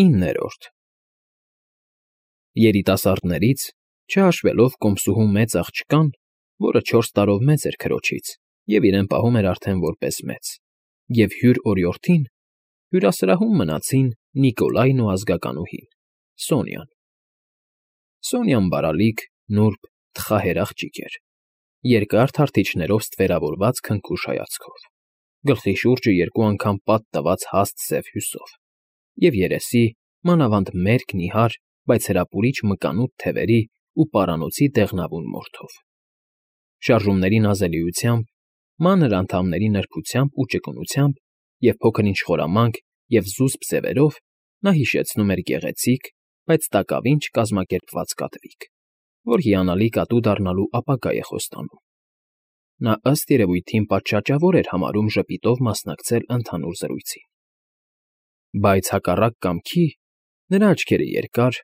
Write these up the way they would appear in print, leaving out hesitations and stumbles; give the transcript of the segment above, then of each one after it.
9-րդ Երիտասարդներից, չհաշվելով կոմսուհու մեծ աղջկան, որը 4 տարով մեծ էր քրոջից և իրեն պահում էր արդեն որպես մեծ, և հյուր օրիորդին, հյուրասրահում մնացին Նիկոլայն ու ազգականուհին՝ Սոնյան։ Սոնյան բարալիկ, նուրբ, թխահեր աղջիկ էր, երկար թարթիչներով ստվերավորված քնքուշ հայացքով, գլխի շուրջը 2 անգամ պատ տված հաստ սև հյուսով և երեսի, մանավանդ մերկ նիհար, բայց հրապուրիչ մկանուտ թևերի ու պարանոցի դեղնավուն մորթով։ Շարժումների նազելիությամբ, մանր անդամների նրբությամբ ու ճկունությամբ և փոքր-ինչ խորամանկ և զուսպ ձևերով նա հիշեցնում էր գեղեցիկ, բայց տակավին չկազմակերպված կատվիկ, որ հիանալի կատու դառնալու ապագա է խոստանում։ Նա ըստ երևույթին պատշաճավոր էր համարում ժպիտով մասնակցել ընդհանուր զրույցին։ Բայց հակառակ կամքի նրա աչքերը երկար,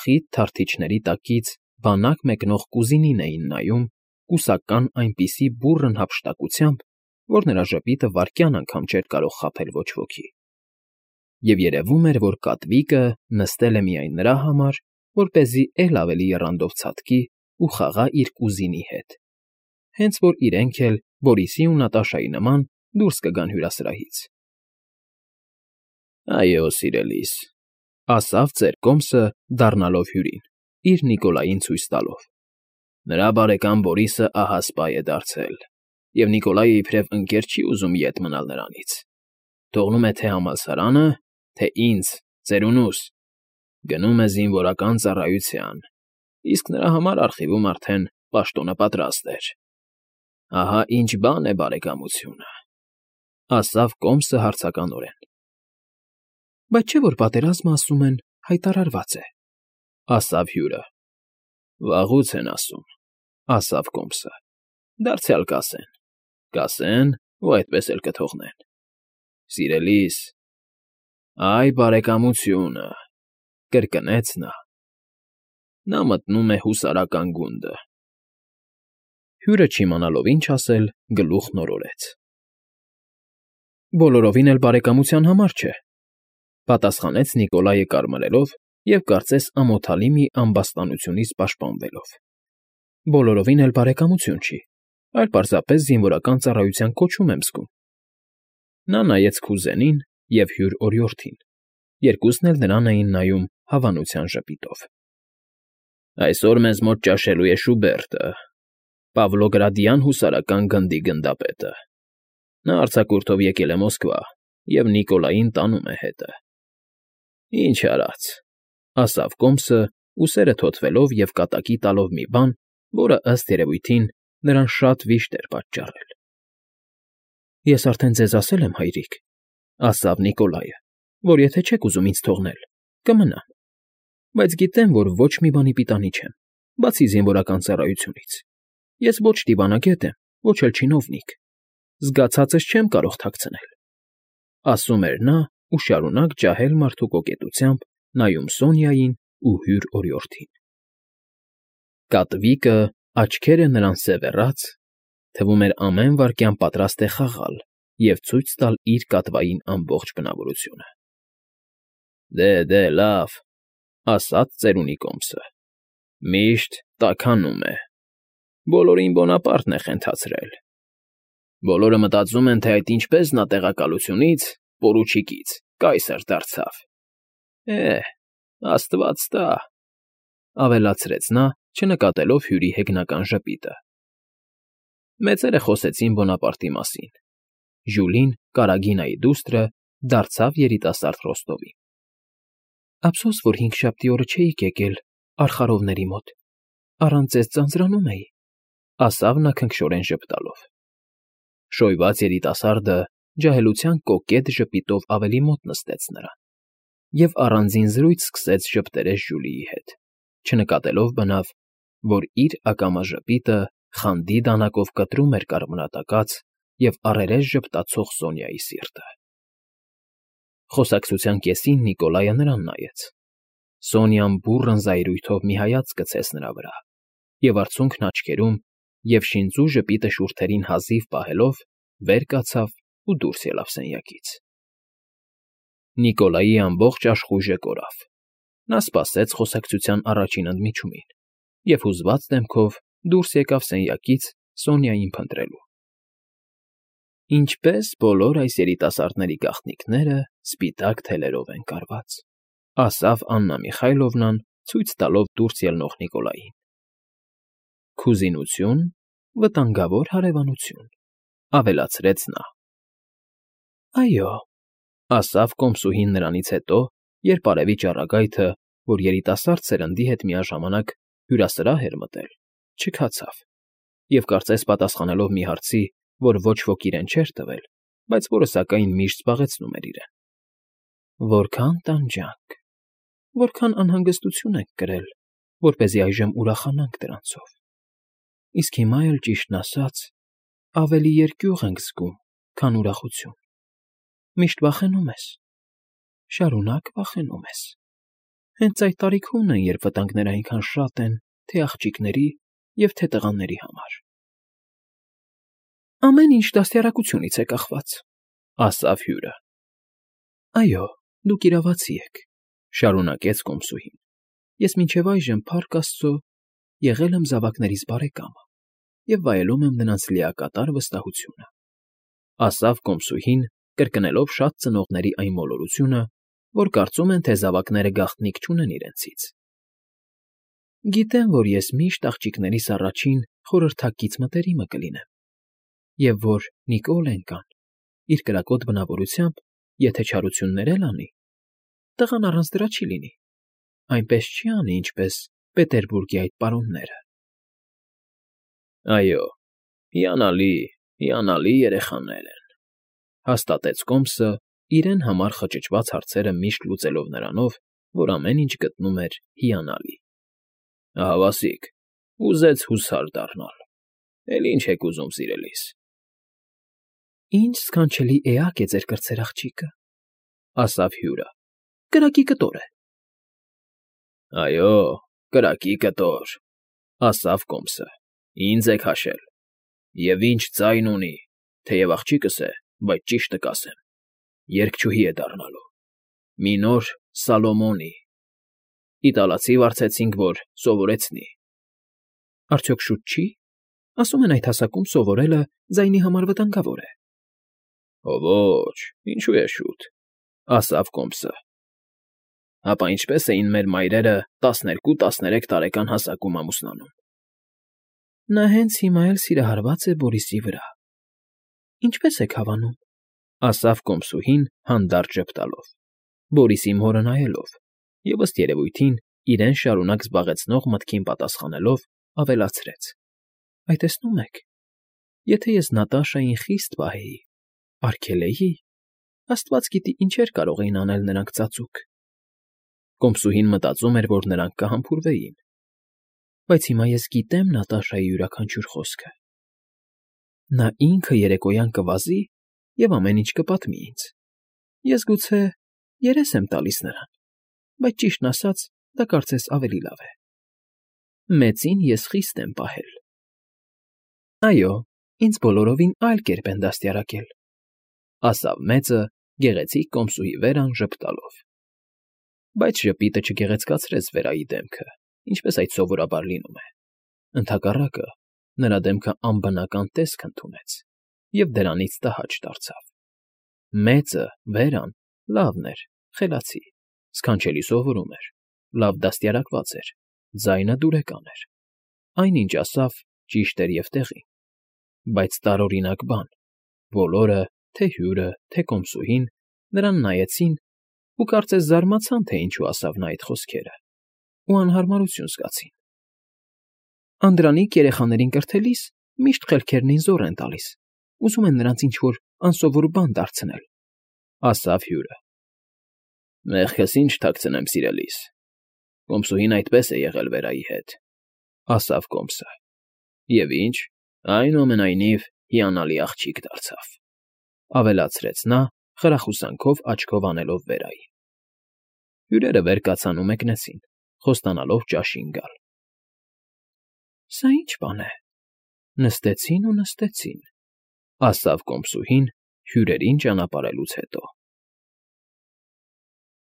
խիտ թարթիչների տակից բանակ մեկնող կուզինին էին նայում կուսական այնպիսի բուռն հափշտակությամբ, որ նրա ժպիտը վայրկյան անգամ չէր կարող խաբել ոչ ոքի։ Եվ երևում էր, որ կատվիկը նստել է միայն նրա համար, որպեսզի էլ ավելի եռանդով ցատկի ու խաղա իր կուզինի հետ, հենց որ իրենք էլ Բորիսի ու Նատաշայի նման դուրս կգան հյուրասրահից։ ֊ Այո, սիրելիս,֊ ասավ ծեր կոմսը, դառնալով հյուրին, իր Նիկոլային ցույց տալով։֊ Նրա բարեկամ Բորիսը ահա սպա է դարձել, և Նիկոլայը իբրև ընկեր չի ուզում ետ մնալ նրանից. թողնում է թե համալսարանը, թե ինձ, ծերունուս, գնում է զինվորական ծառայության, իսկ նրա համար արխիվում արդեն պաշտոնը պատրաստ էր։ Ահա ինչ բան է բարեկամությունը,֊ ասավ կոմսը հարցականորեն։ ֊ Բայց չէ՞ որ պատերազմը, ասում են, հայտարարված է,֊ ասավ հյուրը։ ֊ Վաղուց են ասում,֊ ասավ կոմսը։ Դարձյալ կասեն, կասեն ու այդպես էլ կթողնեն։ Սիրելիս, այ բարեկամությունը,֊ կրկնեց նա։ Նա մտնում է հուսարական գունդը։ Հյուրը չիմանալով ինչ ասել, գլուխն օրորեց։ ֊ Բոլորովին էլ բարեկամության համար չէ,֊ պատասխանեց Նիկոլայը կարմրելով և կարծես ամոթալի մի ամբաստանությունից պաշտպանվելով։ ֊ Բոլորովին էլ բարեկամություն չի, այլ պարզապես զինվորական ծառայության կոչում եմ զգում։ Նա նայեց քուզենին և հյուր օրիորդին, երկուսն էլ նրան էին նայում հավանության ժպիտով։ ֊ Այսօր մեզ մոտ ճաշելու է Շուբերտը, Պավլոգրադյան հուսարական գնդի գնդապետը։ Նա արձակուրդով եկել է Մոսկվա և Նիկոլային տանում է հետը։ ֊ Ինչ արած,֊ ասավ կոմսը, ուսերը թոթվելով և կատակի տալով մի բան, որը, ըստ երևույթին, նրան շատ վիշտ էր պատճառել։ ֊ Ես արդեն ձեզ ասել եմ, հայրիկ,֊ ասավ Նիկոլայը, որ եթե չեք ուզում ինձ թողնել, կմնամ, բայց գիտեմ, որ ոչ մի բանի պիտանի չեմ, բացի զինվորական ծառայությունից։ Ես ոչ դիվանագետ եմ, ոչ էլ չինովնիկ, զգացածս չեմ կարող թաքցնել,֊ ասում էր նա ու շարունակ ջահել մարդու կոկետությամբ նայում Սոնյային ու հյուր օրիորդին։ Կատվիկը, աչքերը նրան սևեռած, թվում էր ամեն վայրկյան պատրաստ է խաղալ և ցույց տալ իր կատվային ամբողջ բնավորությունը։ ֊ Դե, լավ,֊ ասաց ծերունի կոմսը,֊ միշտ տաքանում է։ Բոլորին Բոնապարտն է խենթացրել։ Բոլորը մտածում են, թե այդ ինչպես նա տեղակալությունից, պորուչիկից, կայսր դարձավ։ Աստված տա,֊ ավելացրեց նա, չնկատելով հյուրի հեգնական ժպիտը։ Մեծերը խոսեցին Բոնապարտի մասին։ Ժյուլին, Կարագինայի դուստրը, դարձավ երիտասարդ Ռոստովին։ ֊ Ափսոս, որ հինգշաբթի օրը չէիք եկել արխարովների մոտ, առանց ձեզ ձանձրանում էի,֊ ասավ նա քնքշորեն ժպտալով։ Շոյված երիտասարդը ջահելության կոկետ ժպիտով ավելի մոտ նստեց նրան և առանձին զրույց սկսեց ժպտերես Ժյուլիի հետ, չնկատելով բնավ, որ իր ակամա ժպիտը խանդի դանակով կտրում էր կարմրատակած և առերես ժպտացող Սոնյայի սիրտը։ Խոսակցության կեսին Նիկոլայը նրան նայեց։ Սոնյան բուռն զայրույթով մի հայացք գցեց նրա վրա և արցունքն աչքերում և շինծու ժպիտը շուրթերին հազիվ պահելով վեր կացավ ու դուրս ելավ սենյակից։ Նիկոլայի ամբողջ աշխույժը կորավ։ Նա սպասեց խոսակցության առաջին ընդմիջումին և հուզված դեմքով դուրս եկավ սենյակից Սոնյային փնտրելու։ Ինչպես բոլոր այս երիտասարդների գաղտնիքները սպիտակ թելերով են կարված, ասավ Աննա Միխայլովնան, ցույց տալով դուրս ելնող Նիկոլային։ Քուզինություն, վտանգավոր հարևանություն, ավելացրեց նա։ Այո, ասավ կոմսուհին նրանից հետո, երբ արևի ճառագայթը, որ երիտասարդ սերնդի հետ միաժամանակ հյուրասրահ էր մտել, չքացավ, և կարծես պատասխանելով մի հարցի, որ ոչ ոք իրեն չէր տվել, բայց որը սակայն միշտ զբաղեցնում էր իրեն։ Որքան տանջանք, որքան անհանգստություն ենք կրել, որպեսզի այժմ ուրախանանք դրանցով։ Իսկ հիմա էլ, ճիշտն ասած, ավելի երկյուղ ենք զգում, քան ուրախություն։ Միշտ վախենում ես, շարունակ վախենում ես։ Հենց այդ տարիքումն են, երբ վտանգները այնքան շատ են, թե աղջիկների և թե տղաների համար։ Ամեն ինչ դաստիարակությունից է կախված, ասավ հյուրը։ Այո, դուք իրավացի եք, շարունակեց կոմսուհին։ Ես մինչև այժմ, փառք Աստծո, եղել եմ զավակներիս բարեկամը և վայելում եմ նրանց լիակատար վստահությունը, ասավ կոմսուհին, կրկնելով շատ ծնողների այն մոլորությունը, որ կարծում են, թե զավակները գաղտնիք չունեն իրենցից։ Գիտեմ, որ ես միշտ աղջիկներիս առաջին խորհրդակից մտերիմը կլինեմ, և որ Նիկոլենկան, իր կրակոտ բնավորությամբ, եթե չարություններ էլ անի, տղան առանց դրա չի լինի, այնպես չի անի, ինչպես Պետերբուրգի այդ պարոնները։ Այո, հիանալի երեխաներ են, հաստատեց կոմսը, իրեն համար խճճված հարցերը միշտ լուծելով նրանով, որ ամեն ինչ գտնում էր հիանալի։ Ահավասիկ, ուզեց հուսար դառնալ, էլ ինչ եք ուզում, սիրելիս։ Ինչ սքանչելի էակ է ձեր կրտսեր աղջիկը, ասավ հյուրը, կրակի կտոր է։ Այո, կրակի կտոր, ասավ կոմսը, ինձ եք հաշել, և ինչ ձայն ունի, թեև աղջիկս է, բայց ճիշտը կասեմ, երգչուհի է դառնալու, մի նոր Սալոմոնի, իտալացի վարձեցինք, որ սովորեցնի։ Արդյոք շուտ չի։ Ասում են այդ հասակում սովորելը ձայնի համար վտանգավոր է։ Ոչ, ինչու է շուտ, ասավ կոմսը։ Ապա ինչպես էին մեր մայրերը 12-13 տարեկան հասակում ամուսնանում։ Նա հենց հիմա էլ սիրահարված է Բորիսի վրա։ Ինչպես եք հավանում, ասավ կոմսուհին հանդարտ ժպտալով, Բորիսի մորը նայելով, և ըստ երևույթին իրեն շարունակ զբաղեցնող մտքին պատասխանելով ավելացրեց. Այ տեսնում եք, եթե ես Նատաշային խիստ պահեի, արգելեի, Աստված գիտի ինչեր կարող էին անել նրանք ծածուկ։ Կոմսուհին մտածում էր, որ նրանք կհամբուրվեին։ Բայց հիմա ես գիտեմ Նատաշայի յուրաքանչյուր խոսքը։ Նա ինքը երեկոյան կվազի և ամեն ինչ կպատմի ինձ։ Ես գուցե երես եմ տալիս նրան, բայց ճիշտն ասած, դա կարծես ավելի լավ է։ Մեծին ես խիստ եմ պահել։ Այո, ինձ բոլորովին այլ կերպ են դաստիարակել, ասավ մեծը գեղեցիկ կոմսուհի վերան ժպտալով։ Բայց ժպիտը չգեղեցկացրեց Վերայի դեմքը, ինչպես այդ սովորաբար լինում է։ Ընդհակառակը, նրա դեմքը անբնական տեսք ընդունեց և դրանից տհաճ դարձավ։ Մեծը, Վերան, լավն էր, խելացի, սքանչելի սովորում էր, լավ դաստիարակված էր, ձայնը դուրեկան էր։ Այնինչ ասավ, ճիշտ էր և տեղին։ Բայց տարօրինակ բան, բոլորը, թե հյուրը, թե կոմսուհին, նրան նայեցին ու կարծես զարմացան, թե ինչու ասավ նա այդ խոսքերը, ու անհարմարություն զգացին։ Անդրանիկ երեխաներին կրթելիս միշտ խելքերն ինձ զոռ են տալիս, ուզում են նրանց ինչ-որ անսովոր բան դարձնել, ասավ հյուրը։ Մեղքս ինչ թաքցնեմ, սիրելիս, կոմսուհին այդպես է եղել Վերայի հետ, ասավ կոմսը։ Եվ ինչ, այնուամենայնիվ հիանալի աղջիկ դարձավ, ավելացրեց նա, խրախուսանքով աչքով անելով Վերային։ Հյուրերը վեր կացան ու մեկնեցին, խոստանալով ճաշին գալ։ Սա ի՞նչ բան է։ Նստեցին ու նստեցին, ասավ կոմսուհին հյուրերին ճանապարհելուց հետո։